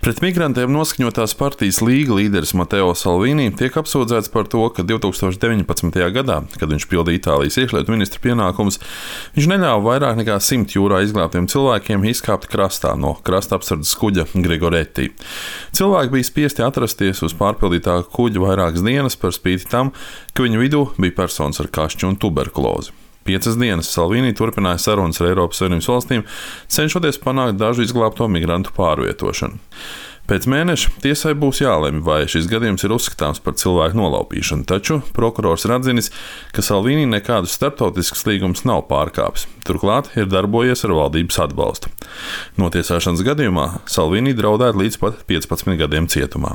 Pret migrantiem noskaņotās partijas Līga līderis Mateo Salvini tiek apsūdzēts par to, ka 2019. gadā, kad viņš pildīja Itālijas iekšlietu ministra pienākumus, viņš neļāva vairāk nekā 100 jūrā izglābtiem cilvēkiem izkāpt krastā no krasta apsardzes kuģa Grigoretti. Cilvēki bija spiesti atrasties uz pārpildītā kuģa vairākas dienas par spīti tam, ka viņu vidū bija personas ar kašķu un tuberkulozi. 5 dienas Salvini turpināja sarunas ar Eiropas Savienības valstīm, cenšoties panākt dažu izglābto migrantu pārvietošanu. Pēc mēneša tiesai būs jālemj, vai šis gadījums ir uzskatāms par cilvēku nolaupīšanu, taču prokurors ir atzinis, ka Salvini nekādus starptautiskus līgumus nav pārkāpis. Turklāt ir darbojies ar valdības atbalstu. Notiesāšanas gadījumā Salvini draudētu līdz pat 15 gadiem cietumā.